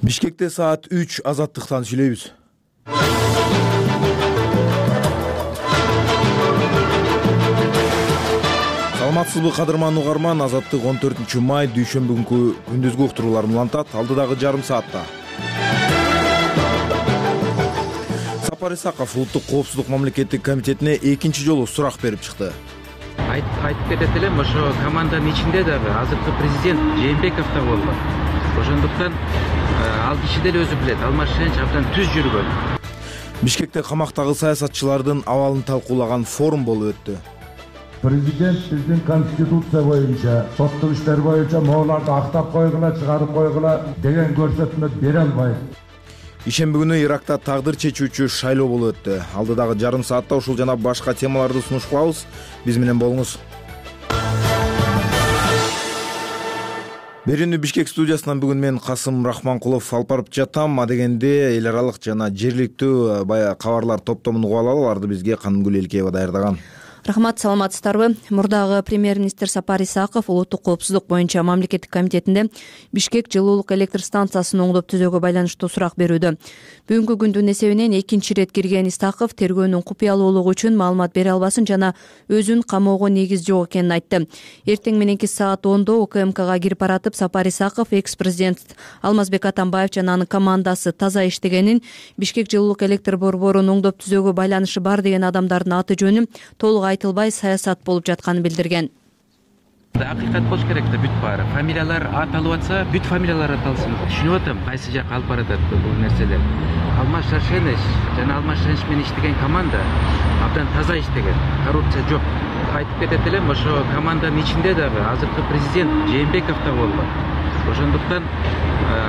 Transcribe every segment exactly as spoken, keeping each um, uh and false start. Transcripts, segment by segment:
Бишкекте саат үч азаттыктан сүйлөйбүз. Саламатсызбы кадырман угарман, Азаттык он төртүнчү май дүйшөмбү күнкү күндүзгү уктурууларын улантат. Алдыдагы жарым саатта Сапар Исаков Улуттук коопсуздук мамлекеттик комитетине экинчи жолу сурак берип чыкты. Айтып кетет элем, ошо команданын ичинде дагы азыркы президент Жээнбеков да болгон. Ошондуктан ал киши деле өзү билет, Алмазбек абдан түз жүргөн. Бишкекте камактагы саясатчылардын абалын талкуулаган форум болуп өттү. Президент биздин конституция боюнча, соттук иштер боюнча моуларды актап койгула, чыгарып койгула деген көрсөтмө бере албайт. Ишемби күнү Иракта тагдыр чечүүчү шайлоо болуп өттү. Алдыдагы жарым саатта ушул жана башка темаларды сунуш кылабыз. Биз менен болуңуз. Берүүнү Бишкек студиясынан бүгүн мен Касым Рахманкулов алып барып жатам. Адегенде эл аралык жана жергиликтүү баягы кабарлар топтомун угуп алалы. Аларды бизге Канымгүл Элкеева даярдаган. Рахмат, саламатсыздарбы? Мурдагы премьер-министр Сапар Исаков Улуттук коопсуздук боюнча мамлекеттик комитетинде Бишкек жылуулук электр станциясын оңдоп түзөөгө байланыштуу сурак берүүдө. Бүгүнкү күндүн эсебинен экинчи ирет кирген Исаков тергөөнүн купуялуулугу үчүн маалымат бере албасын жана өзүн камоого негиз жок экенин айтты. Эртең мененки саат ондо УКМКга кирип баратып Сапар Исаков экс-президент Алмазбек Атамбаев жана анын командасы таза иштегенин, Бишкек жылуулук электр борборун оңдоп түзөөгө байланышы бар деген адамдардын аты жөнү толук айтылбай саясат болуп жатканын билдирген. Акыйкат болуш керек да, бүт баары. Фамилиялар аталып атса, бүт фамилиялар аталсын. Түшүнүп атам, кайсы жакка алып баратат бул нерселер. Алмаз Шаршенович жана Алмаз Шаршенович менен иштеген команда абдан таза иштеген. Коррупция жок. Айтып кетет элем, ошо команданын ичинде дагы азыркы президент Жээнбеков да болгон. Ошондуктан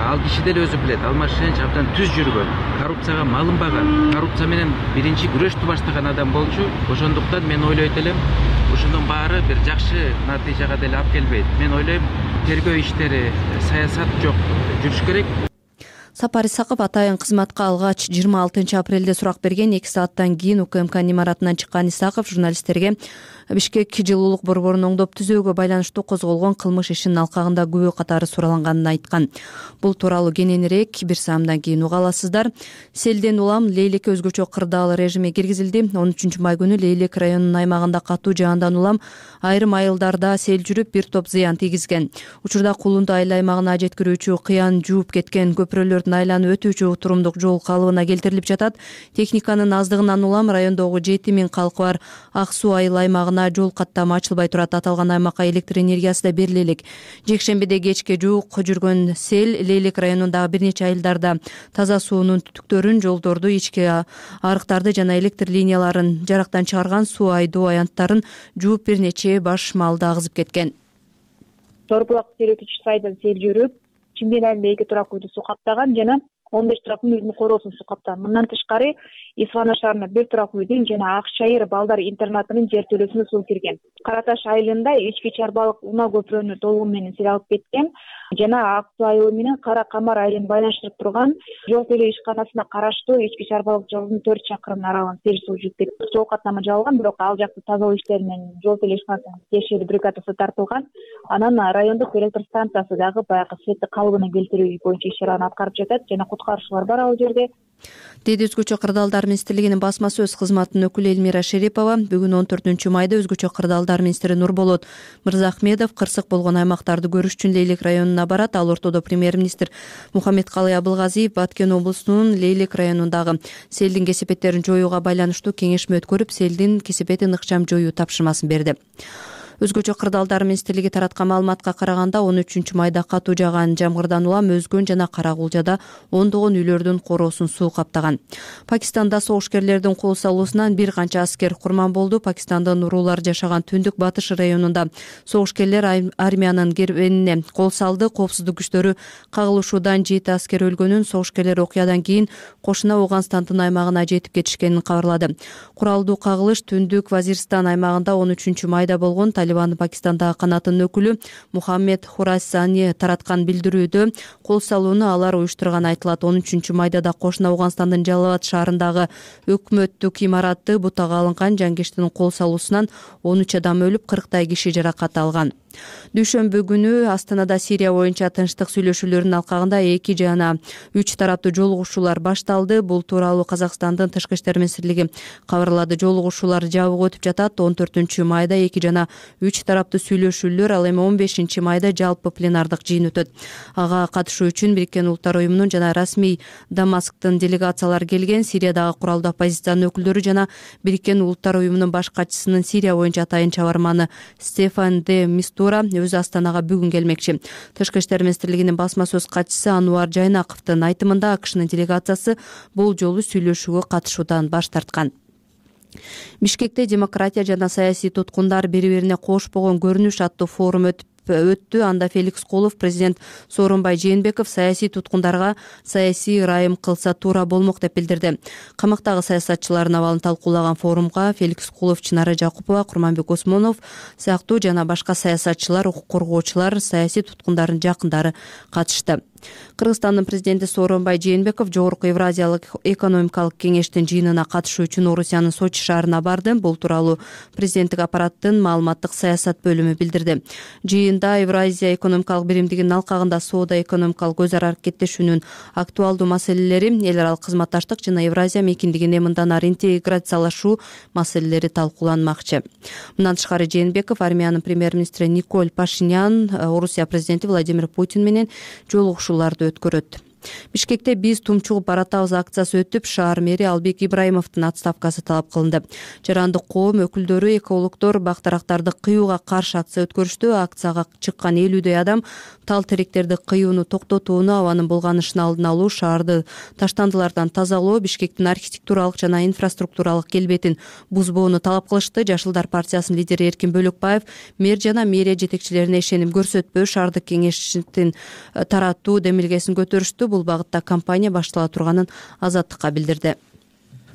ал киши деле өзү билет, Алмазбек абдан түз жүргөн, коррупцияга малынбаган, коррупция менен биринчи күрөштү баштаган адам болчу. Ошондуктан мен ойлойт элем, ошондон баары бир жакшы натыйжага деле алып келбейт. Мен ойлойм, тергөө иштери, саясат жок, жүрүш керек. Сапар Исаков атайын кызматка алгач жыйырма алтынчы апрелде сурак берген. эки сааттан кийин УКМКнын имаратынан чыккан Исаков журналисттерге Бишкек жылуулук борборун оңдоп түзөөгө байланыштуу козголгон кылмыш ишинин алкагында күбө катары суураланганын айткан. Бул тууралуу кененирээк бир саамдан кийин уга аласыздар. Селден улам Лейлекке өзгөчө кырдаал режими киргизилди. он үчүнчү май күнү Лейлек районунун аймагында катуу жаандан улам айрым айылдарда сел жүрүп бир топ зыян тийгизген. Учурда Кулунду айыл аймагына жеткирүүчү кыян жууп кеткен көпүрөлөрдүн айланып өтүүчү турумдук жол калыбына келтирилип жатат. Техниканын аздыгынан улам райондогу жети миң калкы бар Ак Суу айыл аймагына жол каттамы ачылбай турат. Аталган аймакка электр энергиясы да бериле элек. Жекшембиде кечке жуук жүргөн сел Лейлек районундагы бир нече айылдарда таза суунун түтүктөрүн, жолдорду, ички арыктарды жана электр линияларын жарактан чыгарган, суу айдоо аянттарын жууп бир нече баш малды агызып кеткен. Торбулак серетүүчү сайдан сел жүрүп, Чимдин айылында эки турак үйдү суу каптаган жана он беш турак үйдүн короосун суу каптаган. Мындан тышкары Исфана шаарына бир турак үйдүн жана Ак Чайыр балдар интернатынын жертөлөсүнө суу кирген. Кара Таш айылында ички чарбалык унаа көпүрөнү толугу менен сел алып кеткен жана Ак Суу айылы менен Кара Камар айылын байланыштырып турган жол төлөө ишканасына караштуу ички чарбалык жолдун төрт чакырым аралын сел суу жууп кетти. Жол каттамы жабылган, бирок ал жакты тазалоо иштери менен жол төлөө ишканасынын тиешелүү бригадасы тартылган. Анан райондук электр станциясы дагы баягы сетти калыбына келтирүү боюнча иш чараны аткарып жатат жана куткаруучулар бар ал жерде. Деди Өзгөчө кырдаалдар министрлигинин басма сөз кызматынын өкүлү Элмира Шерипова. Бүгүн он төртүнчү майда Өзгөчө кырдаалдар министри Нурболот Мырзахмедов кырсык болгон аймактарды көрүш үчүн Лейлек районуна барат. Ал ортодо премьер-министр Мухаммедкалый Абылгазиев Баткен облусунун Лейлек районундагы селдин кесепеттерин жоюуга байланыштуу кеңешме өткөрүп, селдин кесепетин ыкчам жоюу тапшырмасын берди. Өзгөчө кырдаалдар министрлиги тараткан маалыматка караганда он үчүнчү майда катуу жааган жамгырдан улам Өзгөн жана Карагулжада ондогон үйлөрдүн короосун суу каптаган. Пакистанда согушкерлердин кол салуусунан бир канча аскер курман болду. Пакистандын уруулар жашаган Түндүк Батыш районунда согушкерлер армиянын кербенине кол салды. Коопсуздук күчтөрү кагылышуудан жети аскер өлгөнүн, согушкерлер окуядан кийин кошуна Ауганстандын аймагына жетип кетишкенин кабарлады. Куралдуу кагылыш Түндүк Вазиристан аймагында он үчүнчү майда болгон. Талибандын Пакистандагы канатынын өкүлү Мухаммед Хурасани тараткан билдирүүдө кол салууну алар уюштурган айтылат. он үчүнчү майда да кошуна Ауганстандын Жалалабад шаарындагы өкмөттүк имаратты бутага алынган. Жангештин кол салуусунан он үч адам өлүп, кырктай киши жаракат алган. Дүйшөмбү күнү Астанада Сирия боюнча тынчтык сүйлөшүүлөрүнүн алкагында эки жана үч тараптуу жолугушуулар башталды. Бул тууралуу Казакстандын Тышкы иштер министрлиги кабарлады. Жолугушуулар жабык өтүп жатат. он төртүнчү майда эки жана үч тараптуу сүйлөшүүлөр, ал эми он бешинчи майда жалпы пленардык жыйын өтөт. Ага катышуу үчүн Бириккен Улуттар уюмунун жана расмий Дамасктын делегациялары келген. Сириядагы куралдуу оппозициянын өкүлдөрү жана Бириккен Улуттар уюмунун баш катчысынын Сирия боюнча атайын чабарманы Стефан де Мистура өзү Астанага бүгүн келмекчи. Тышкы иштер министрлигинин басма сөз катчысы Ануар Жайнаковдун айтымында АКШнын делегациясы бул жолу сүйлөшүүгө катышуудан баш тарткан. Бишкекте демократия жана саясий туткундар бири-бирине кош болгон көрүнүш аттуу форум өтүп өттү. Анда Феликс Кулов, президент Сооронбай Жээнбеков саясий туткундарга саясий ырайым кылса туура болмок деп билдирди. Камактагы саясатчылардын абалын талкуулаган форумга Феликс Кулов, Чынара Жакупова, Курманбек Осмонов сыяктуу жана башка саясатчылар, укук коргоочулар, саясий туткундардын жакындары катышты. Кыргызстандын президенти Сооронбай Жээнбеков Жогорку Евразиялык экономикалык кеңештин жыйынына катышуу үчүн Орусиянын Сочи шаарына барды. Бул тууралуу президенттик аппараттын маалыматтык саясат бөлүмү билдирди. Жыйында Евразия экономикалык биримдигинин алкагында соода экономикалык өз ара аракеттешүүнүн актуалдуу маселелери, эл аралык кызматташтык жана Евразия мейкиндигине мындан ары интеграциялашуу маселелери талкууланмакчы. Мындан тышкары Жээнбеков армиянын премьер-министри Николь Пашинян, Орусия президенти Владимир Путин менен жолугушуу өткөрөт. Бишкекте биз тумчугуп баратабыз акциясы өтүп, шаар мэри Албек Ибраимовдун отставкасы талап кылынды. Жарандык коом өкүлдөрү, экологдор бактарактарды кыюуга каршы акция өткөрүштү. Акцияга чыккан элүүдөй адам тал теректерди кыюуну токтотууну, абанын булганышын алдын алуу, шаарды таштандылардан тазалоо, Бишкектин архитектуралык жана инфраструктуралык келбетин бузбоону талап кылышты. Жашылдар партиясынын лидери Эркин Бөлөкбаев мэр жана мэрия жетекчилерине ишеним көрсөтпөө, шаардык кеңештин таратуу демилгесин көтөрүштү. Бул багытта кампания баштала турганын Азаттыкка билдирди.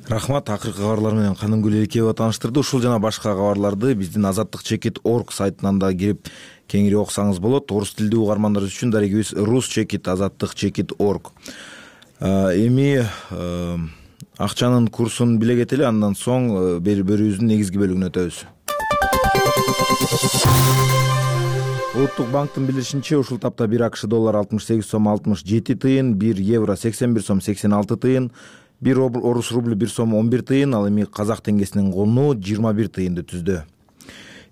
Рахмат. Акыркы кабарлар менен Канынгүл Элкеева тааныштырды. Ушул жана башка кабарларды биздин азаттык чекит точка орг сайтынан да кирип кеңири окусаңыз болот. Орус тилдүү угармандар үчүн дарегибиз рус чекит азаттык чекит точка орг. Эми акчанын курсун биле кетели, андан соң берүүбүздүн негизги бөлүгүнө өтөбүз. Улуттук банктын билдиришинче, ушул тапта бир АКШ доллар алтымыш сегиз сом алтымыш жети тыйын, бир евро сексен бир сом сексен алты тыйын, бир орус рубль бир сом он бир тыйын, ал эми казак теңгесинин куну жыйырма бир тыйынды түздү.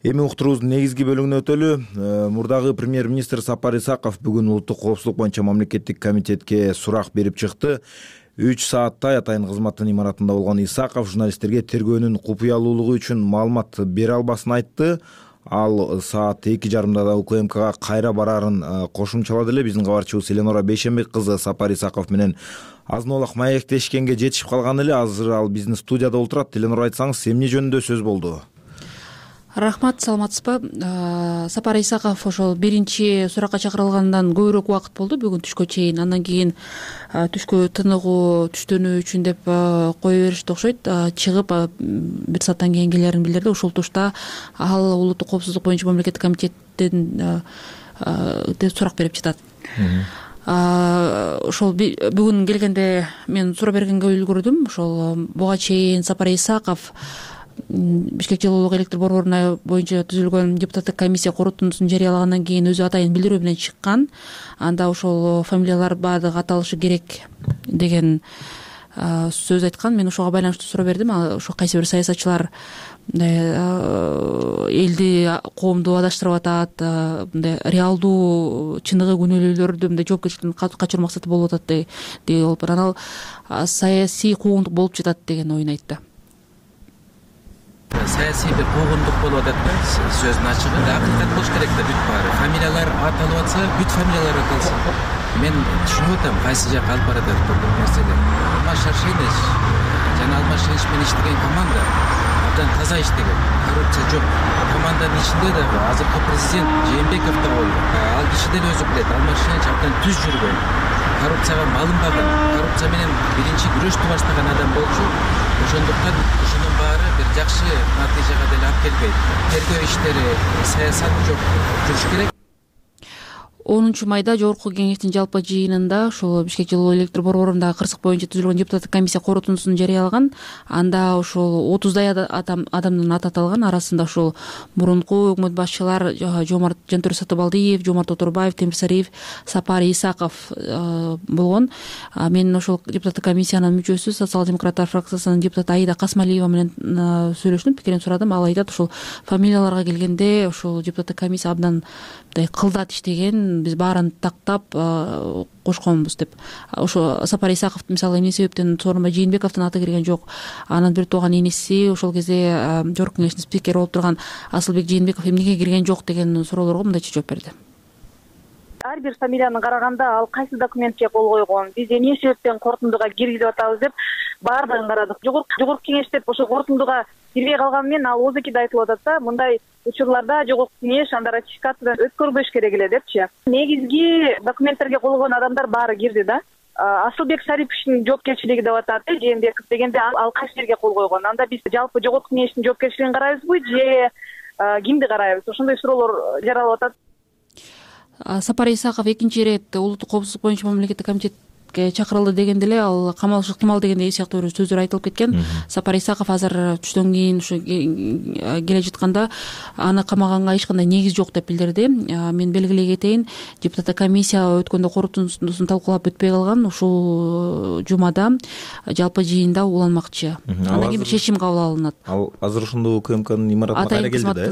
Эми уктуруубуздун негизги бөлүгүнө өтөлү. Мурдагы премьер-министр Сапар Исаков бүгүн улуттук коопсуздук боюнча мамлекеттик комитетке сурак берип чыкты. үч сааттай атайын кызматтын имаратында болгон Исаков журналисттерге тергөөнүн купуялуулугу үчүн маалымат бере албасын айтты. Ал саат эки жарымда да УКМКга кайра барарын кошумчалады эле. Биздин кабарчыбыз Эленора Бейшенбек кызы Сапар Исаков менен азын-аулак маектешкенге жетишип калган эле. Азыр ал биздин студияда отурат. Эленора, айтсаңыз, эмне жөнүндө сөз болду? Рахмат, саламатсызбы? Сапар Исаков ошол биринчи суракка чакырылгандан көбүрөөк убакыт болду, бүгүн түшкө чейин. Андан кийин түшкө тыныгуу, түштөнүү үчүн деп кое беришти окшойт. Чыгып бир сааттан кийин келерин билдирди. Ушул тушта ал улуттук коопсуздук боюнча мамлекеттик комитеттен сурак берип жатат. Ошол бүгүн келгенде мен суроо бергенге үлгүрдүм. Ошол буга чейин Сапар Исаков Бишкек жылуулук электр борборуна боюнча түзүлгөн депутаттык комиссия корутундусун жарыялагандан кийин өзү атайын билдирүү менен чыккан. Анда ошол фамилиялар баардыгы аталышы керек деген сөз айткан. Мен ошого байланыштуу суроо бердим. Ошо кайсы бир саясатчылар элди, коомду адаштырып атат, мындай реалдуу чыныгы күнөөлүүлөрдү мындай жоопкерчиликтен качыруу максаты болуп атат деп болуп анан ал саясий куугунтук болуп жатат деген оюн айтты. Саясий бир куугунтук болуп атат да, сөздүн ачыгы. Акыйкат болуш керек да, бүт баары. Фамилиялар аталып атса, бүт фамилиялар аталсын. Мен түшүнүп атам кайсы жакка алып баратат бул нерселер. Алмаз Шаршенович жана Алмаз Шаршенович менен иштеген команда абдан таза иштеген. Коррупция жок. Команданын ичинде дагы азыркы президент Жээнбеков да болду. Ал киши деле өзү билет, Алмаз Шаршенович абдан түз жүргөн, коррупцияга малынбаган, коррупция менен биринчи күрөштү баштаган адам болчу. Ошондуктан ушунун баары бир жакшы натыйжага деле алып келбейт. Тергөө иштери, саясат жок, жүрүш керек. онунчу майда жогорку кеңештин жалпы жыйынында ушул Бишкек жылуу электр борборундагы кырсык боюнча түзүлгөн депутаттык комиссия корутундусун жарыялаган. Анда ушул отуздай адамдын аты аталган. Арасында ушул мурунку өкмөт башчылар Жомарт Жантөре Сатыбалдиев, Жомарт Отурбаев, Темирсариев, Сапар Исаков болгон. Мен ошол депутаттык комиссиянын мүчөсү, социал-демократтар фракциясынын депутаты Аида Касмалиева менен сүйлөштүм, пикирин сурадым. Ал айтат, ушул фамилияларга келгенде ушул депутаттык комиссия абдан мындай кылдат иштеген, биз баарын тактап кошконбуз деп. Ошо Сапар Исаков мисалы эмне себептен Сооронбай Жээнбековдун аты кирген жок, анын бир тууган энеси ошол кезде жогорку кеңештин спикери болуп турган Асылбек Жээнбеков эмнеге кирген жок деген суроолорго мындайча жооп берди. Ар бир фамилияны караганда ал кайсы документке кол койгон, биз эмне себептен корутундуга киргизип атабыз деп баардыгын карадык. Жогорку кеңеш деп ошо корутундуга кирбей калган менен ал озекиде айтылып атат да, мындай учурларда жогорку кеңеш анда ратификациядан өткөрбөш керек эле депчи. Негизги документтерге кол койгон адамдар баары кирди да. Асылбек Шариповичтин жоопкерчилиги деп атат, Жээнбеков дегенде ал кайсы жерге кол койгон? Анда биз жалпы жогорку кеңештин жоопкерчилигин карайбызбы же кимди карайбыз? Ошондой суроолор жаралып атат. Сапар Исаков экинчи ирет улуттук коопсуздук боюнча мамлекеттик комитетке чакырылды дегенде эле ал камалышы ыктымал дегендей сыяктуу бир сөздөр айтылып кеткен. Сапар Исаков азыр түштөн кийин ушу келе жатканда аны камаганга эч кандай негиз жок деп билдирди. Мен белгилей кетейин, депутаттык комиссия өткөндө корутундусун талкуулап өтпөй калган. Ушул жумада жалпы жыйында уланмакчы. Андан кийин бир чечим кабыл алынат. Ал азыр ошондо УКМКнын имаратына кайра келди да.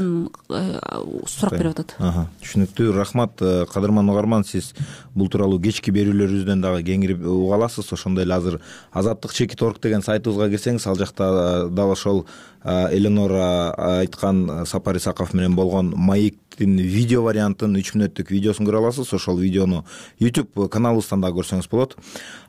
Сурак берип атат. Түшүнүктүү. Рахмат, кадырман угарман, сиз бул тууралуу кечки берүүлөрүбүздөн дагы кеңири уга аласыз. Ошондой эле азыр азаттык чекит орг деген сайтыбызга кирсеңиз, ал жакта дал ошол Эленора айткан Сапар Исаков менен болгон маектин видео вариантын үч мүнөттүк видеосун көрө аласыз. Ошол видеону YouTube каналыбыздан да көрсөңүз болот.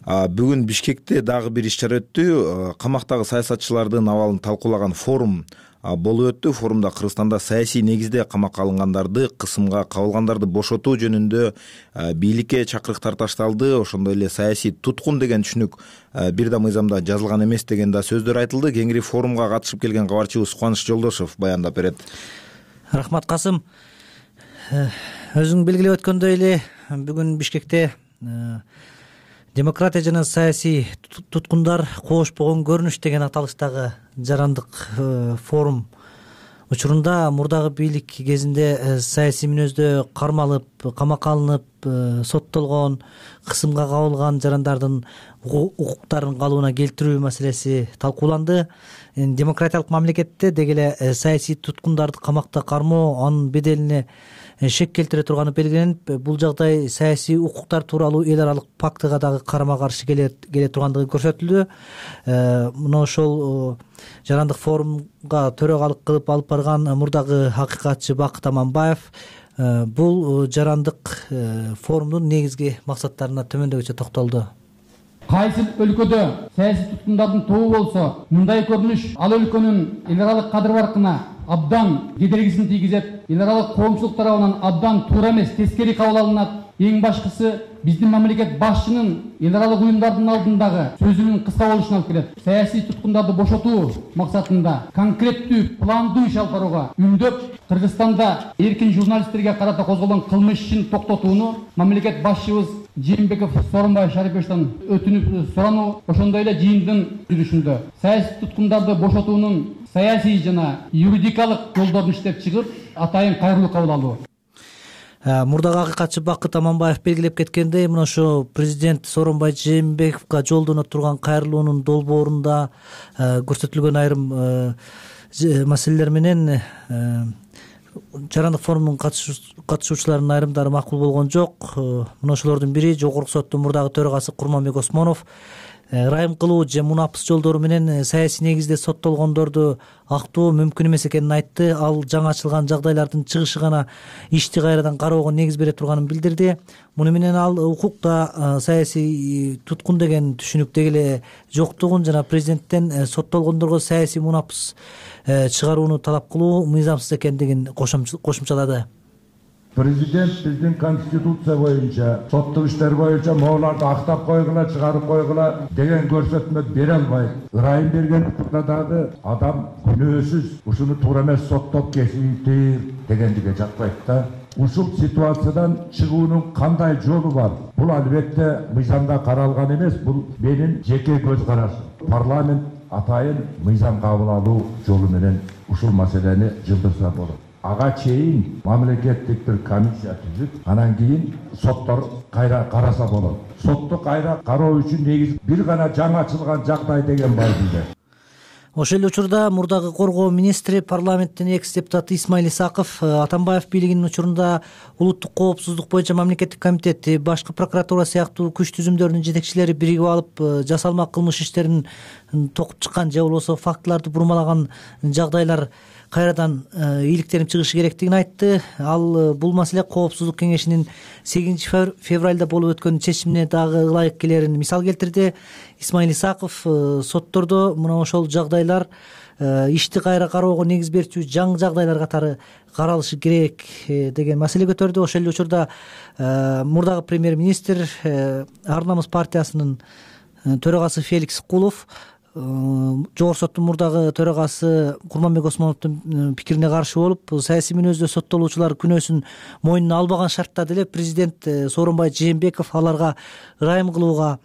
Бүгүн Бишкекте дагы бир иш чара өттү. Камактагы саясатчылардын абалын талкуулаган форум болуп өттү. Форумда Кыргызстанда саясий негизде камакка алынгандарды, кысымга кабылгандарды бошотуу жөнүндө бийликке чакырыктар ташталды. Ошондой эле саясий туткун деген түшүнүк бир да мыйзамда жазылган эмес деген да сөздөр айтылды. Кеңири форумга катышып келген кабарчыбыз Кубаныч Жолдошов баяндап берет. Рахмат, Касым. Өзүң белгилеп өткөндөй эле бүгүн Бишкекте демократия жана саясий туткундар коошпогон көрүнүш деген аталыштагы жарандык форум учурунда мурдагы бийлик кезинде саясий мүнөздө кармалып, камакка алынып, соттолгон, кысымга кабылган жарандардын укуктарын калыбына келтирүү маселеси талкууланды. Демократиялык мамлекетте деги эле саясий туткундарды камакта кармоо анын беделине шек келтире турганы белгиленип, бул жагдай саясий укуктар тууралуу эл аралык пактыга дагы карама каршы келе тургандыгы көрсөтүлдү. Мына ошол жарандык форумга төрөгалык кылып алып барган мурдагы акыйкатчы Бакыт Аманбаев бул жарандык форумдун негизги максаттарына төмөндөгүчө токтолду. Кайсы өлкөдө саясий туткундардын тобу болсо, мындай көрүнүш ал өлкөнүн эл аралык кадыр баркына абдан кедергисин тийгизет, эл аралык коомчулук тарабынан абдан туура эмес, тескери кабыл алынат. Эң башкысы биздин мамлекет башчынын эл аралык уюмдардын алдындагы сөзүнүн кыска болушуна алып келет. Саясий туткундарды бошотуу максатында конкреттүү, пландуу иш алып барууга үндөп, Кыргызстанда эркин журналисттерге карата козголгон кылмыш ишин токтотууну мамлекет башчыбыз Жээнбеков Сооронбай Шариповичтен өтүнүп сурануу, ошондой эле жыйындын жүрүшүндө саясий туткундарды бошотуунун саясий жана юридикалык жолдорун иштеп чыгып, атайын кайрылуу кабыл алуу. Мурдагы акыйкатчы Бакыт Аманбаев белгилеп кеткендей, мына ошо президент Сооронбай Жээнбековго жолдоно турган кайрылуунун долбоорунда көрсөтүлгөн айрым маселелер менен жарандык форумдун катышуучуларынын айрымдары макул болгон жок. Мына ошолордун бири жогорку соттун мурдагы төрагасы Курманбек Осмонов ырайым кылуу же мунапыс жолдору менен саясий негизде соттолгондорду актоо мүмкүн эмес экенин айтты. Ал жаңы ачылган жагдайлардын чыгышы гана ишти кайрадан кароого негиз бере турганын билдирди. Муну менен ал укукта саясий туткун деген түшүнүк деги эле жоктугун жана президенттен соттолгондорго саясий мунапыс чыгарууну талап кылуу мыйзамсыз экендигин кошумчалады. Президент биздин конституция боюнча соттук иштер боюнча моуларды актап койгула, чыгарып койгула деген көрсөтмө бере албайт. Ырайым бергендикте дагы адам күнөөсүз ушуну туура эмес соттоп кесиптир дегендиге жатпайт да. ушул ситуациядан чыгуунун кандай жолу бар? Бул албетте мыйзамда каралган эмес, бул менин жеке көз карашым. Парламент атайын мыйзам кабыл алуу жолу менен ушул маселени жылдырса болот. Ага чейин мамлекеттик бир комиссия түзүп, анан кийин соттор кайра караса болот. Сотто кайра кароо үчүн негиз бир гана жаңы ачылган жагдай деген бар бизде. Ошол эле учурда мурдагы коргоо министри, парламенттин экс депутаты Исмаил Исаков Атамбаев бийлигинин учурунда улуттук коопсуздук боюнча мамлекеттик комитети, башкы прокуратура сыяктуу күч түзүмдөрүнүн жетекчилери биригип алып жасалма кылмыш иштерин токуп чыккан же болбосо фактыларды бурмалаган жагдайлар кайрадан ийгиликтенип чыгышы керектигин айтты. Ал бул маселе коопсуздук кеңешинин сегизинчи февралда болуп өткөн чечимине дагы ылайык келерин мисал келтирди. Исмаил Исаков соттордо мына ошол жагдайлар ишти кайра кароого негиз берчү жаңы жагдайлар катары каралышы керек деген маселе көтөрдү. Ошол эле учурда мурдагы премьер-министр, Ар намыс партиясынын төрагасы Феликс Кулов жогорку соттун мурдагы төрагасы Курманбек Осмоновдун пикирине каршы болуп, саясий мүнөздө соттолуучулар күнөөсүн мойнуна албаган шартта деле президент Сооронбай Жээнбеков аларга ырайым кылууга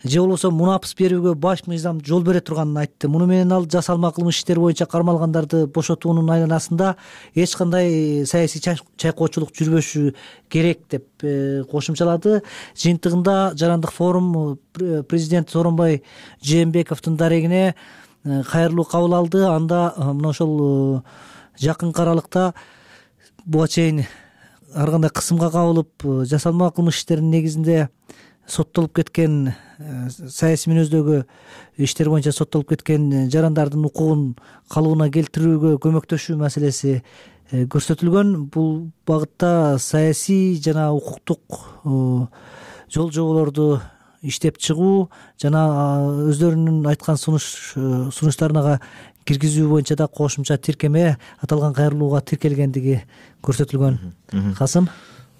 же болбосо мунапыс берүүгө баш мыйзам жол бере турганын айтты. Муну менен ал жасалма кылмыш иштери боюнча кармалгандарды бошотуунун айланасында эч кандай саясий чайкоочулук жүрбөшү керек деп кошумчалады. Жыйынтыгында Жарандык форум президент Сооронбай Жээнбековдун дарегине кайрылуу кабыл алды. Анда мына ошол жакынкы аралыкта буга чейин ар кандай кысымга кабылып жасалма кылмыш иштеринин негизинде соттолуп кеткен, саясий мүнөздөгү иштер боюнча соттолуп кеткен жарандардын укугун калыбына келтирүүгө көмөктөшүү маселеси көрсөтүлгөн. Бул багытта саясий жана укуктук жол жоболорду иштеп чыгуу жана өздөрүнүн айткан сунуш сунуштарына киргизүү боюнча да кошумча тиркеме аталган кайрылууга тиркелгендиги көрсөтүлгөн. Касым,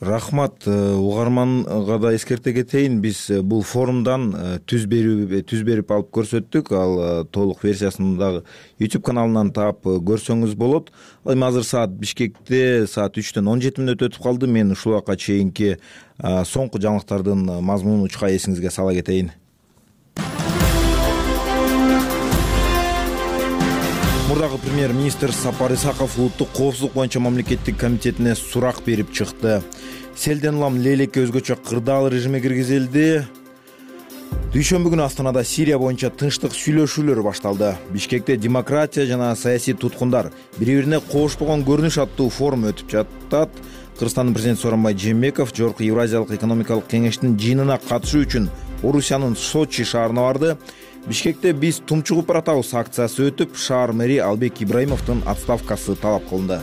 рахмат. Угарманга да эскерте кетейин, биз бул форумдан түз берүү түз берип алып көрсөттүк. Ал толук версиясын дагы YouTube каналынан таап көрсөңүз болот. Эми азыр саат Бишкекте саат үчтөн он жети мүнөт өтүп калды. Мен ушул убакка чейинки соңку жаңылыктардын мазмунун учка эсиңизге сала кетейин. Мурдагы премьер-министр Сапар Исаков улуттук коопсуздук боюнча мамлекеттик комитетине сурак берип чыкты. Селден улам Лейлекке өзгөчө кырдаал режиме киргизилди. Дүйшөмбү күнү Астанада Сирия боюнча тынчтык сүйлөшүүлөр башталды. Бишкекте демократия жана саясий туткундар бири-бирине коошпогон көрүнүш аттуу форум өтүп жатат. Кыргызстандын президенти Сооронбай Жээнбеков жогорку Евразиялык экономикалык кеңештин жыйынына катышуу үчүн Орусиянын Сочи шаарына барды. Бишкекте биз тумчугуп баратабыз акциясы өтүп, шаар мэри Албек Ибраимовдун отставкасы талап кылынды.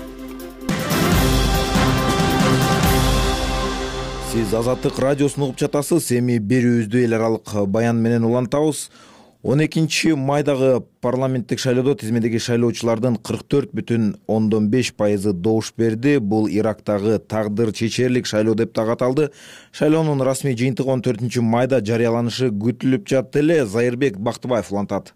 Сиз Азаттык радиосун угуп жатасыз. Эми берүүбүздү эл аралык баян менен улантабыз. он экинчи майдагы парламенттик шайлоодо тизмедеги шайлоочулардын кырк төрт бүтүн ондон беш пайызы добуш берди. Бул Ирактагы тагдыр чечерлик шайлоо деп дагы аталды. Шайлоонун расмий жыйынтыгы он төртүнчү майда жарыяланышы күтүлүп жатты эле. Зайырбек Бактыбаев улантат.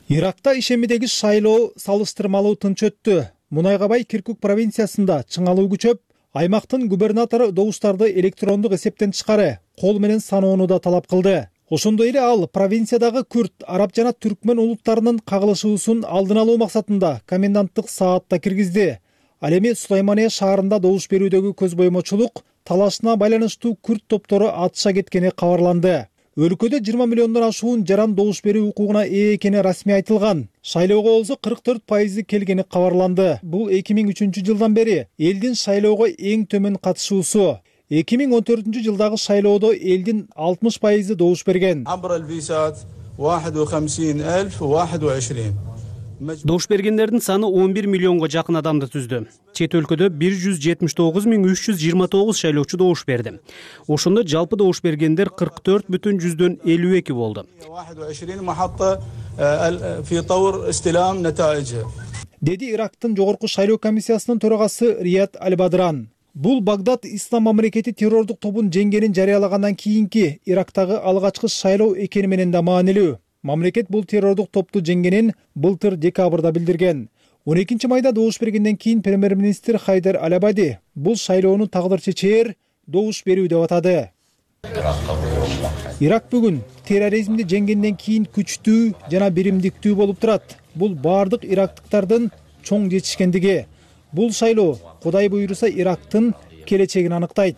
Иракта ишемидеги шайлоо салыштырмалуу тынч өттү. Мунайга бай Киркук провинциясында чыңалуу күчөп, аймактын губернатору добуштарды электрондук эсептен тышкары кол менен саноону да талап кылды. Ошондой эле ал провинциядагы күрд, араб жана түркмөн улуттарынын кагылышуусун алдын алуу максатында коменданттык саатта киргизди. Ал эми Сулаймания шаарында добуш берүүдөгү көз боймочулук талашына байланыштуу күрд топтору атыша кеткени кабарланды. Өлкөдө жыйырма миллиондон ашуун жаран добуш берүү укугуна ээ экени расмий айтылган. Шайлоого болсо кырк төрт пайызы келгени кабарланды. Бул эки миң үчүнчү жылдан бери элдин шайлоого эң төмөн катышуусу. эки миң он төртүнчү жылдагы шайлоодо элдин алтымыш пайызы добуш берген. Добуш бергендердин саны он бир миллионго жакын адамды түздү. Чет өлкөдө бир жүз жетимиш тогуз миң үч жүз жыйырма тогуз шайлоочу добуш берди. Ошондо жалпы добуш бергендер кырк төрт бүтүн жүздөн элүү эки болду. Деди Ирактын жогорку шайлоо комиссиясынын төрагасы Рият Аль-Бадран. Бул Багдад Ислам мамлекети террордук тобун жеңгенин жарыялагандан кийинки Ирактагы алгачкы шайлоо экени менен да маанилүү. Мамлекет бул террордук топту жеңгенин былтыр декабрда билдирген. он экинчи майда добуш бергенден кийин премьер-министр Хайдар Аль-Абади бул шайлоону тагдыр чечээр добуш берүү деп атады. Ирак бүгүн терроризмди жеңгенден кийин күчтүү жана биримдиктүү болуп турат. Бул бардык ирактыктардын чоң жетишкендиги. Бул шайлоо Кудай буйруса Ирактын келечегин аныктайт.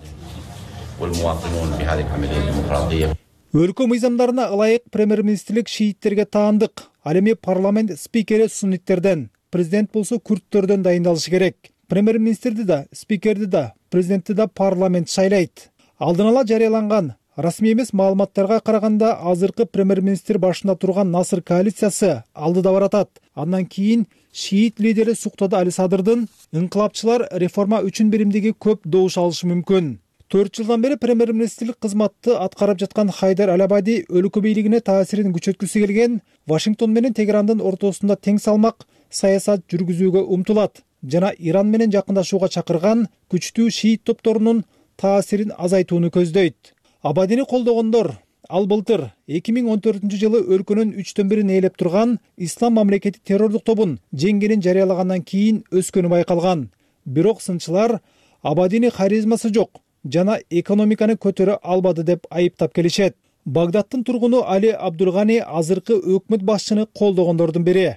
Өлкө мыйзамдарына ылайык премьер-министрлик шииттерге таандык. Ал эми парламент спикери сунниттерден, президент болсо күрттөрдөн дайындалышы керек. Премьер-министрди да, спикерди да, президентти да парламент шайлайт. Алдын ала жарыяланган расмий эмес маалыматтарга караганда азыркы премьер-министр башында турган Насыр коалициясы алдыда баратат. Андан кийин шиит лидери Суктады Али Садырдын инкылапчылар реформа үчүн биримдиги көп добуш алышы мүмкүн. төрт жылдан бери премьер-министрлик кызматты аткарып жаткан Хайдар Аль-Абади өлкө бийлигине таасирин күчөткүсү келген Вашингтон менен Тегерандын ортосунда тең салмак саясат жүргүзүүгө умтулат жана Иран менен жакындашууга чакырган күчтүү шиит топторунун таасирин азайтууну көздөйт. Абадини колдогондор ал былтыр эки миң он төртүнчү жылы өлкөнүн үчтөн бирин ээлеп турган Ислам мамлекети террордук тобун жеңгенин жарыялагандан кийин өскөнү байкалган. Бирок сынчылар Абадини харизмасы жок жана экономиканы көтөрө албады деп айыптап келишет. Багдадтын тургуну Али Абдулгани азыркы өкмөт башчыны колдогондордун бири.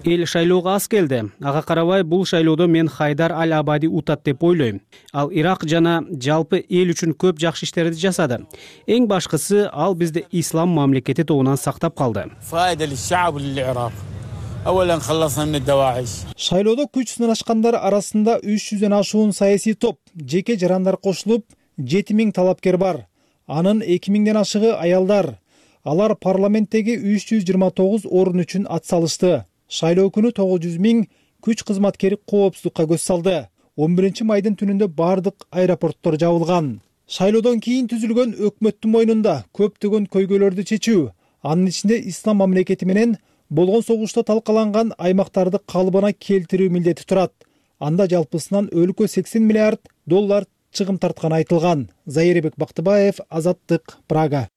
Эл шайлоого аз келди. Ага карабай бул шайлоодо мен Хайдар Аль-Абади утат деп ойлойм. Ал Ирак жана жалпы эл үчүн көп жакшы иштерди жасады. Эң башкысы ал бизди ислам мамлекети тобунан сактап калды. Шайлоодо күч сынашкандар арасында үч жүздөн ашуун саясий топ, жеке жарандар кошулуп, жети миң талапкер бар. Анын эки миңден ашыгы аялдар. Алар парламенттеги үч жүз жыйырма тогуз орун үчүн ат салышты. Шайлоо күнү тогуз жүз миң күч кызматкери коопсуздукка көз салды. он биринчи майдын түнүндө бардык аэропорттор жабылган. Шайлоодон кийин түзүлгөн өкмөттүн мойнунда көптөгөн көйгөйлөрдү чечүү, анын ичинде ислам мамлекети менен болгон согушта талкаланган аймактарды калыбына келтирүү милдети турат. Анда жалпысынан өлкө сексен миллиард доллар чыгым тартканы айтылган. Зайырбек Бактыбаев, Азаттык, Прага.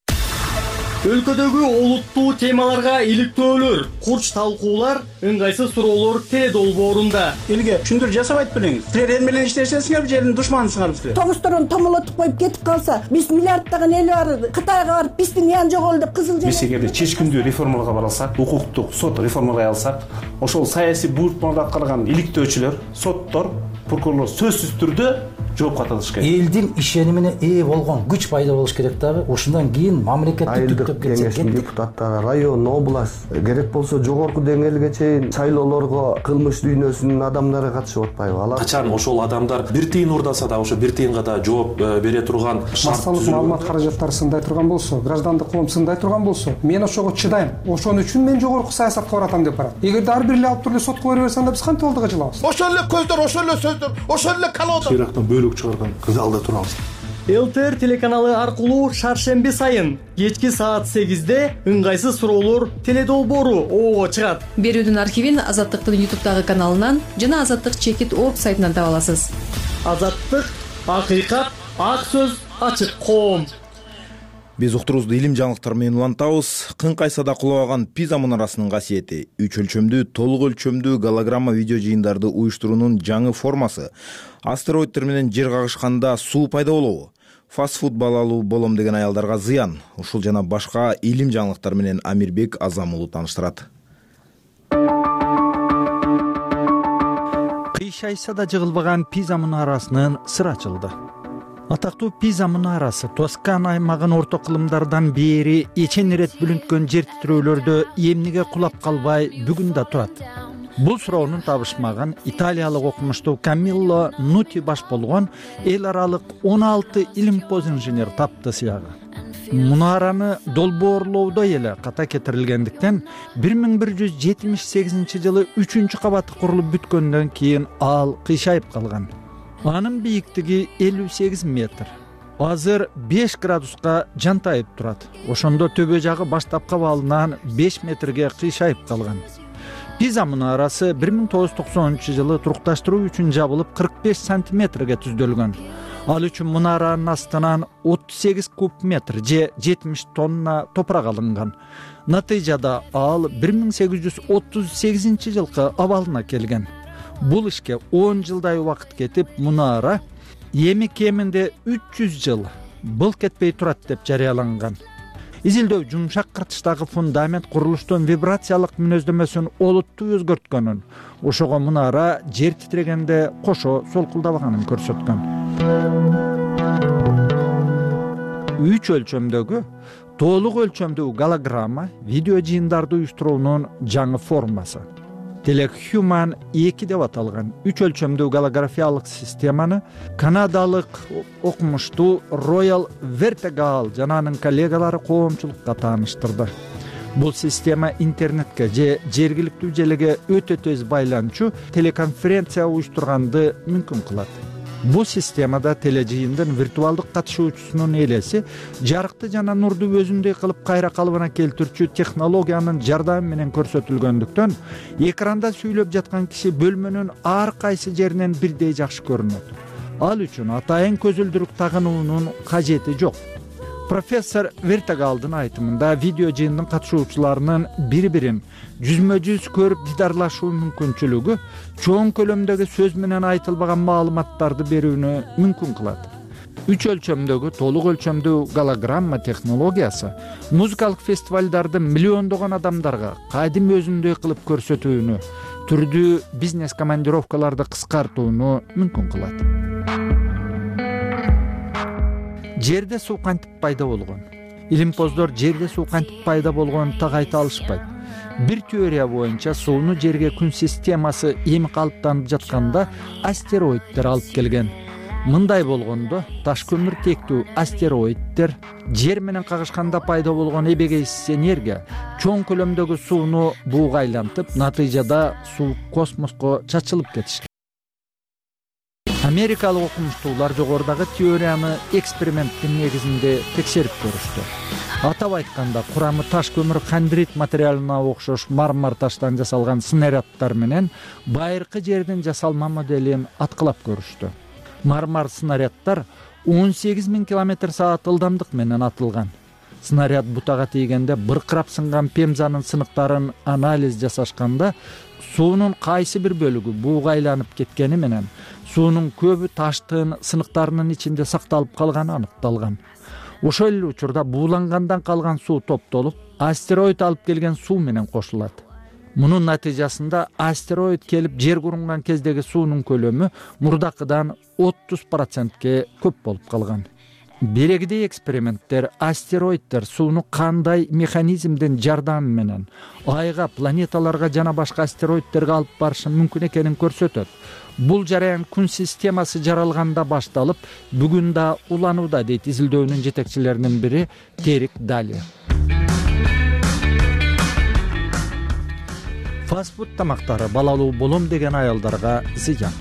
Өлкөдөгү олуттуу темаларга иликтөөлөр, курч талкуулар, ыңгайсыз суроолор теле долбоорунда. Элге түшүндүрүү жасап айтып бериңиз. Силер эл менен иштешесиңерби, же элдин душманысыңарбы силер? Тогузторун томолотуп коюп кетип калса, биз миллиарддаган эл бар, Кытайга барып биздин ян жогол деп кызыл Биз эгерде чечкиндүү реформаларга бара алсак, укуктук сот реформалай алсак, ошол саясий буйртмаларды аткарган иликтөөчүлөр, соттор, прокурорлор сөзсүз түрдө жоопко тартылыш керек. Элдин ишенимине ээ болгон күч пайда болуш керек дагы. Ошондон кийин мамлекетти түптөп кетсек, депутаттар, район, область, керек болсо жогорку деңгээлге чейин шайлоолорго кылмыш дүйнөсүнүн адамдары катышып атпайбы? Алар качан ошол адамдар бир тыйын уурдаса да ошо бир тыйынга да жооп бере турган массалык маалымат каражаттары сындай турган болсо, граждандык коом сындай турган болсо, мен ошого чыдайм. Ошон үчүн мен жогорку саясатка баратам деп барат. Эгерде ар бир эле алып туруп эле сотко бере берсе, анда биз кантип алдыга жылабыз? Ошол эле көздөр, ошол эле сөздөр, ошол эле колодо. Ирактан бөлүк чыгарган залда турабыз. ЛТР телеканалы аркылуу шаршемби сайын кечки саат сегизде ыңгайсыз суроолор теле долбоору оого чыгат. Берүүдүн архивин Азаттыктын ютубтагы каналынан жана Азаттык чекит орг сайтынан таба аласыз. Азаттык, акыйкат, ак сөз, ачык коом. Биз уктурубузду илим жаңылыктар менен улантабыз. Кыңкайсада кулабаган Пиза мунарасынын касиети үч өлчөмдүү, толук өлчөмдүү голограмма видео жыйындарды уюштуруунун жаңы формасы. Астероиддер менен жер кагышканда суу пайда болобу? Фастфуд балалуу болом деген аялдарга зыян. Ушул жана башка илим жаңылыктар менен Амирбек Азам уулу тааныштырат. Кыйшайса да жыгылбаган Пиза мунарасынын сыры ачылды. Атактуу Пиза мунарасы Тоскана аймагын орто кылымдардан бери эчен ирет бүлүнткөн жер титирөөлөрдө эмнеге кулап калбай бүгүн да турат? Бул суроону табышмаган италиялык окумуштуу Камилло Нути баш болгон эл аралык он алты илимпоз инженер тапты сыягы. Мунараны долбоорлоодо эле ката кетирилгендиктен бир миң бир жүз жетимиш сегизинчи жылы үчүнчү кабаты курулуп бүткөндөн кийин ал кыйшайып калган. Анын бийиктиги элүү сегиз метр. Азыр беш градуска жантайып турат. Ошондо төбө жагы баштапкы абалынан беш метрге кыйшайып калган. Пиза мунарасы бир миң тогуз жүз токсонунчу жылы турукташтыруу үчүн жабылып кырк беш сантиметрге түздөлгөн. Ал үчүн мунаранын астынан отуз сегиз куб метр же жетимиш тонна топурак алынган. Натыйжада ал бир миң сегиз жүз отуз сегизинчи жылкы абалына келген. Бул ишке он жылдай убакыт кетип, мунара эми кеминде үч жүз жыл былк этпей турат деп жарыяланган. Изилдөө жумшак кыртыштагы фундамент курулуштун вибрациялык мүнөздөмөсүн олуттуу өзгөрткөнүн, ошого мунара жер титирегенде кошо солкулдабаганын көрсөткөн. Үч өлчөмдөгү толук өлчөмдүү голограмма видео жыйындарды уюштуруунун жаңы формасы. Телехуман эки деп аталган үч өлчөмдүү голографиялык системаны канадалык окумуштуу Royal Vertical жана анын коллегалары коомчулукка тааныштырды. Бул система интернетке же жергиликтүү желеге өтө тез байланчу телеконференция уюштурганды мүмкүн кылат. Бул системада тележыйындын виртуалдык катышуучусунун элеси жарыкты жана нурду өзүндөй кылып кайра калыбына келтирүүчү технологиянын жардамы менен көрсөтүлгөндүктөн экранда сүйлөп жаткан киши бөлмөнүн ар кайсы жеринен бирдей жакшы көрүнөт. Ал үчүн атайын көзүлдүрүк тагынуунун кажети жок. Профессор Вертагалдын айтымында видео жыйындын катышуучуларынын бири-бирин жүзмө жүз көрүп дидарлашуу мүмкүнчүлүгү чоң көлөмдөгү сөз менен айтылбаган маалыматтарды берүүнү мүмкүн кылат. Үч өлчөмдөгү толук өлчөмдүү голограмма технологиясы музыкалык фестивалдарды миллиондогон адамдарга кадим өзүндөй кылып көрсөтүүнү, түрдүү бизнес командировкаларды кыскартууну мүмкүн кылат. Жерде суу кантип пайда болгон? Илимпоздор жерде суу кантип пайда болгонун так айта алышпайт. Бир теория боюнча сууну жерге күн системасы эми калыптанып жатканда астероиддер алып келген. Мындай болгондо таш көмүр тектүү астероиддер жер менен кагышканда пайда болгон эбегейсиз энергия чоң көлөмдөгү сууну бууга айлантып, натыйжада суу космоско чачылып кетишкен. Америкалык окумуштуулар жогорудагы теорияны эксперименттин негизинде текшерип көрүштү. Атап айтканда, курамы таш көмүр хандрит материалына окшош мармар таштан жасалган снаряддар менен байыркы жердин жасалма моделин аткылап көрүштү. Мармар снаряддар он сегиз миң километр саат ылдамдык менен атылган. Снаряд бутага тийгенде быркырап сынган пемзанын сыныктарын анализ жасашканда суунун кайсы бир бөлүгү бууга айланып кеткени менен суунун көбү таштын сыныктарынын ичинде сакталып калганы аныкталган. Ошол эле учурда буулангандан калган суу топтолуп, астероид алып келген суу менен кошулат. Мунун натыйжасында астероид келип жер курунган кездеги суунун көлөмү мурдакыдан отуз процентке көп болуп калган. Берегидей эксперименттер астероиддер сууну кандай механизмдин жардамы менен айга, планеталарга жана башка астероиддерге алып барышы мүмкүн экенин көрсөтөт. Бул жараян күн системасы жаралганда башталып, бүгүн да уланууда, дейт изилдөөнүн жетекчилеринин бири Терик Дали. Фастфуд тамактары балалуу болом деген аялдарга зыян.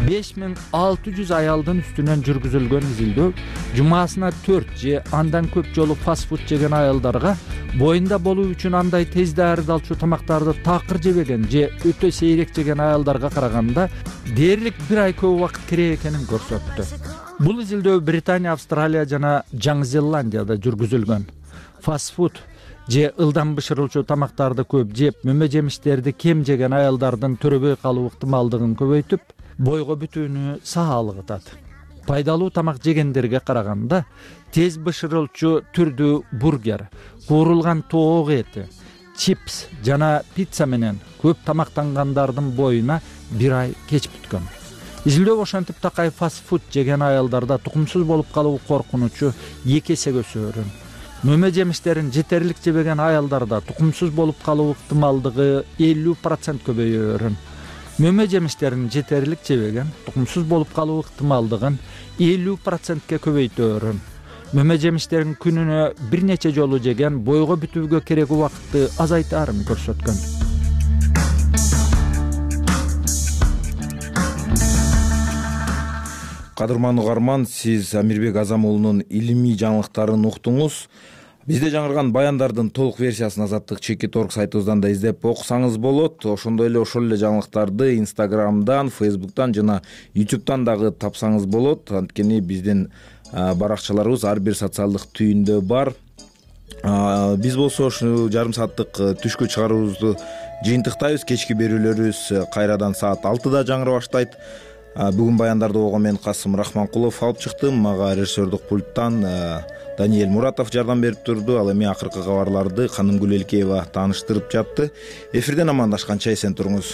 беш миң алты жүз аялдын үстүнөн жүргүзүлгөн изилдөө жумасына төрт же андан көп жолу фастфуд жеген аялдарга боюнда болуу үчүн андай тез даярдалчу тамактарды такыр жебеген же өтө сейрек жеген аялдарга караганда дээрлик бир ай көп убакыт керек экенин көрсөттү. Бул изилдөө Британия, Австралия жана Жаңы Зеландияда жүргүзүлгөн. Фастфуд же ылдам бышырылчу тамактарды көп жеп, мөмө жемиштерди кем жеген аялдардын төрөбөй калуу ыктымалдыгын көбөйтүп, бойго бүтүүнү саалыгытат. Пайдалуу тамак жегендерге караганда тез бышырылчу түрдүү бургер, куурулган тоок эти, чипс жана пицца менен көп тамактангандардын боюна бир ай кеч бүткөн. Изилдөө ошентип такай фастфуд жеген аялдарда тукумсуз болуп калуу коркунучу эки эсе өсөөрүн. Мөмө жемиштерин жетерлик жебеген аялдарда тукумсуз болуп калуу ыктымалдыгы элүү процент көбөйөөрүн. Мөмө жемиштерин жетерлик жебеген тукумсуз болуп калуу ыктымалдыгын элүү процентке көбөйтөөрүн. Мөмө жемиштерин күнүнө бир нече жолу жеген бойго бүтүүгө керек убакытты азайтаарын көрсөткөн. Кадырман угарман, сиз Амирбек Азам уулунун илимий жаңылыктарын уктуңуз. Бизде жаңырган баяндардын толук версиясын азаттык чекит точка орг сайтыбыздан да издеп окусаңыз болот. Ошондой эле ошол эле жаңылыктарды Инстаграмдан, Фейсбуктан жана Ютубтан дагы тапсаңыз болот. Анткени биздин баракчаларыбыз ар бир социалдык түйүндө бар. Биз болсо ушул жарым сааттык түшкү чыгаруубузду жыйынтыктайбыз. Кечки берүүлөрүбүз кайрадан саат алтыда жаңыра баштайт. Бүгүн баяндарды угуп мен Касым Рахманкулов алып чыктым. Мага режиссердук пульттан Даниэль Муратов жардам берип турду. Ал эми акыркы кабарларды Канымгүл Элкеева тааныштырып жатты. Эфирден амандашканча эсен туруңуз.